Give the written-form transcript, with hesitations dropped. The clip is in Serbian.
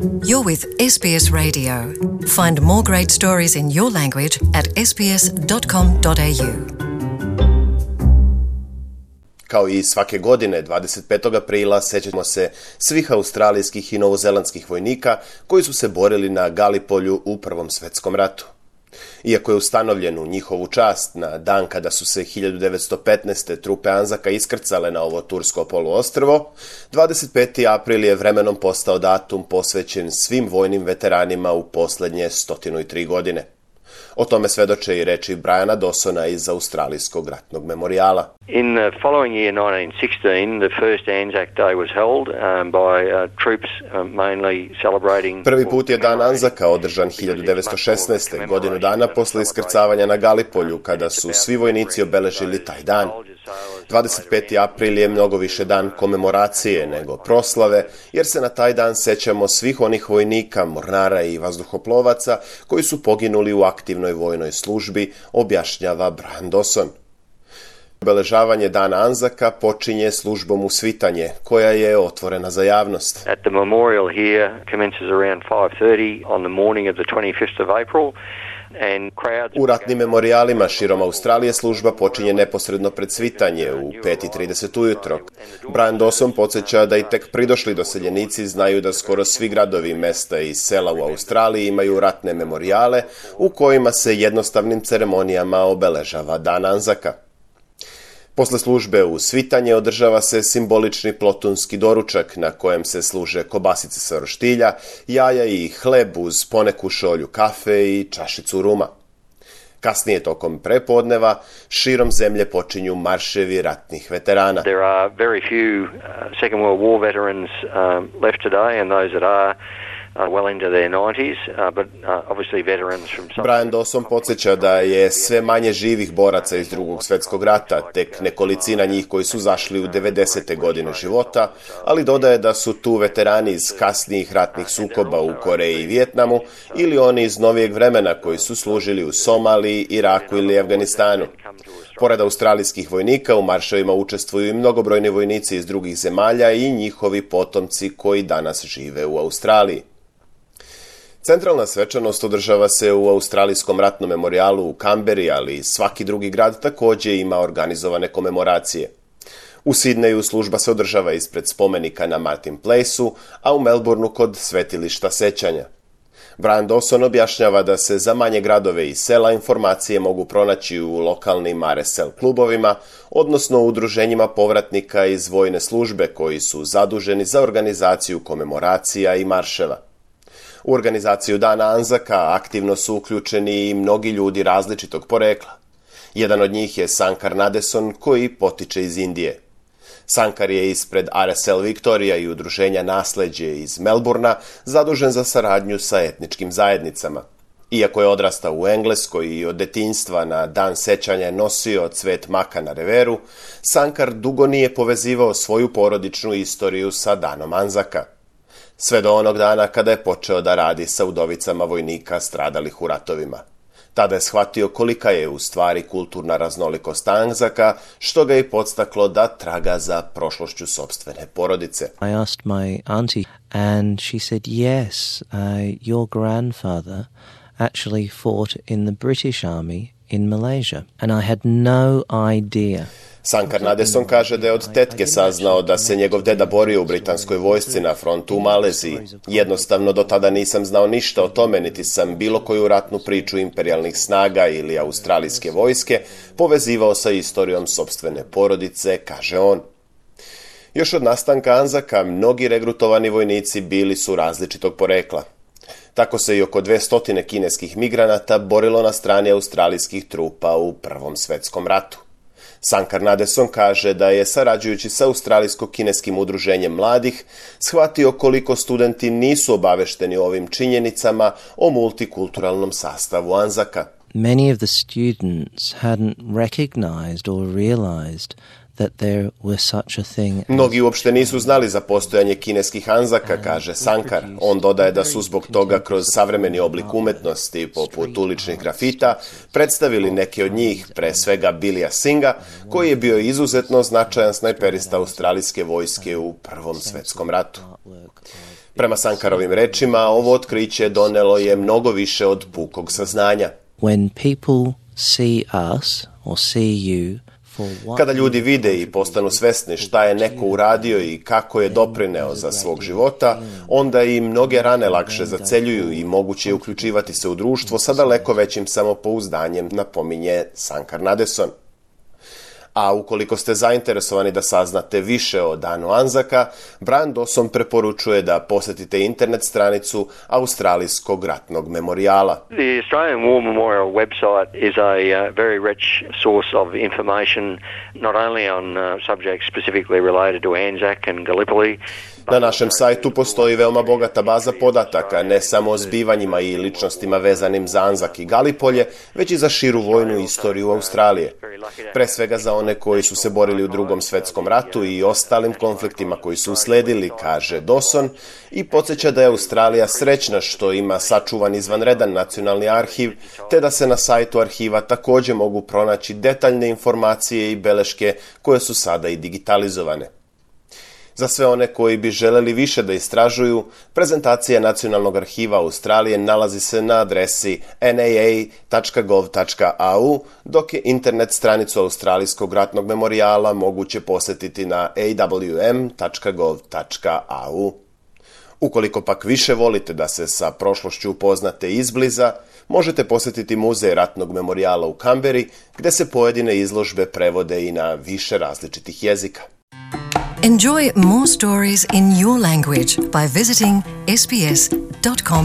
You're with SBS Radio. Find more great stories in your language at sbs.com.au. Kao i svake godine, 25. aprila, sećamo se svih australijskih i novozelandskih vojnika koji su se borili na Galipolju u Prvom svetskom ratu. Iako je ustanovljen u njihovu čast na dan kada su se 1915. trupe Anzaka iskrcale na ovo tursko poluostrvo, 25. april je vremenom postao datum posvećen svim vojnim veteranima u posljednje 103 godine. O tome svedoče i reči Briana Dawsona iz Australijskog ratnog memorijala. In the following year, 1916, the first Anzac Day was held by troops mainly celebrating... Prvi put je dan Anzaka održan 1916. godinu dana posle iskrcavanja na Galipolju, kada su svi vojnici obeležili taj dan. 25. april je mnogo više dan komemoracije nego proslave, jer se na taj dan sećamo svih onih vojnika, mornara i vazduhoplovaca koji su poginuli u aktivnoj vojnoj službi, objašnjava Brian Dawson. Obeležavanje dana Anzaka počinje službom usvitanje, koja je otvorena za javnost. At the memorial here commences around 5:30 on the morning of the 25th of April. U ratnim memorijalima širom Australije služba počinje neposredno pred svitanje u 5:30 ujutro. Brian Dawson podsjeća da i tek pridošli doseljenici znaju da skoro svi gradovi, mesta i sela u Australiji imaju ratne memorijale u kojima se jednostavnim ceremonijama obeležava dan Anzaka. Posle službe u svitanje održava se simbolični plotunski doručak na kojem se služe kobasice sa roštilja, jaja i hleb uz poneku šolju kafe i čašicu ruma. Kasnije tokom prepodneva širom zemlje počinju marševi ratnih veterana. There are very few Second World War veterans left today, and those that are well into their 90s, but obviously veterans from some... Brian Dawson podsjeća da je sve manje živih boraca iz Drugog svjetskog rata, tek nekolicina njih koji su zašli u 90. godine života, ali dodaje da su tu veterani iz kasnijih ratnih sukoba u Koreji i Vijetnamu ili oni iz novijeg vremena koji su služili u Somaliji, Iraku ili Afganistanu. Pored australijskih vojnika u marševima učestvuju i mnogobrojni vojnici iz drugih zemalja i njihovi potomci koji danas žive u Australiji. Centralna svečanost održava se u Australijskom ratnom memorijalu u Kamberi, ali svaki drugi grad također ima organizovane komemoracije. U Sidneju služba se održava ispred spomenika na Martin Placeu, a u Melbourneu kod svetilišta sećanja. Brian Dawson objašnjava da se za manje gradove i sela informacije mogu pronaći u lokalnim RSL klubovima, odnosno u udruženjima povratnika iz vojne službe koji su zaduženi za organizaciju komemoracija i marševa. U organizaciju dana Anzaka aktivno su uključeni i mnogi ljudi različitog porekla. Jedan od njih je Sankar Nadeson, koji potiče iz Indije. Sankar je ispred RSL Victoria i udruženja Nasleđe iz Melbournea zadužen za saradnju sa etničkim zajednicama. Iako je odrastao u Engleskoj i od detinjstva na dan sećanja je nosio cvet maka na reveru, Sankar dugo nije povezivao svoju porodičnu istoriju sa danom Anzaka. Sve do onog dana kada je počeo da radi sa udovicama vojnika stradalih u ratovima. Tada je shvatio kolika je u stvari kulturna raznolikost Anzaka, što ga je podstaklo da traga za prošlošću sopstvene porodice. I asked my auntie and she said yes, your grandfather actually fought in the British Army in Malaysia and I had no idea. Sankar Nadeson kaže da je od tetke saznao da se njegov deda borio u britanskoj vojsci na frontu u Maleziji. Jednostavno do tada nisam znao ništa o tome, niti sam bilo koju ratnu priču imperijalnih snaga ili australijske vojske povezivao sa istorijom sopstvene porodice, kaže on. Još od nastanka Anzaka mnogi regrutovani vojnici bili su različitog porekla. Tako se i oko 200 kineskih migranata borilo na strani australijskih trupa u Prvom svetskom ratu. Sankar Nadeson kaže da je, sarađujući sa australijsko-kineskim udruženjem mladih, shvatio koliko studenti nisu obavešteni o ovim činjenicama o multikulturalnom sastavu Anzaka. Many of the students hadn't recognized or realized that there were such a thing. Mnogi uopšte nisu znali za postojanje kineskih Anzaka, kaže Sankar. On dodaje da su zbog toga kroz savremeni oblik umetnosti, poput uličnih grafita, predstavili neke od njih, pre svega Billya Singha, koji je bio izuzetno značajan snajperista australijske vojske u Prvom svetskom ratu. Prema Sankarovim rečima, ovo otkriće donelo je mnogo više od pukog saznanja. When people see us or see you, kada ljudi vide i postanu svesni šta je neko uradio i kako je doprineo za svog života, onda i mnoge rane lakše zaceljuju i moguće je uključivati se u društvo sa daleko većim samopouzdanjem, napominje Sankar Nadeson. A ukoliko ste zainteresovani da saznate više o Danu Anzaka, Brian Dawson preporučuje da posetite internet stranicu Australijskog ratnog memorijala. The Australian War Memorial website is a very rich source of information, not only on subjects specifically related to Anzac and Gallipoli. Na našem sajtu postoji veoma bogata baza podataka, ne samo o zbivanjima i ličnostima vezanim za Anzak i Galipolje, već i za širu vojnu istoriju Australije. Pre svega za one koji su se borili u Drugom svetskom ratu i ostalim konfliktima koji su usledili, kaže Dawson, i podsjeća da je Australija srećna što ima sačuvan izvanredan nacionalni arhiv, te da se na sajtu arhiva također mogu pronaći detaljne informacije i beleške koje su sada i digitalizovane. Za sve one koji bi želeli više da istražuju, prezentacija Nacionalnog arhiva Australije nalazi se na adresi naa.gov.au, dok je internet stranicu Australijskog ratnog memorijala moguće posjetiti na awm.gov.au. Ukoliko pak više volite da se sa prošlošću upoznate izbliza, možete posjetiti Muzej ratnog memorijala u Kamberi, gdje se pojedine izložbe prevode i na više različitih jezika. Enjoy more stories in your language by visiting sbs.com.au.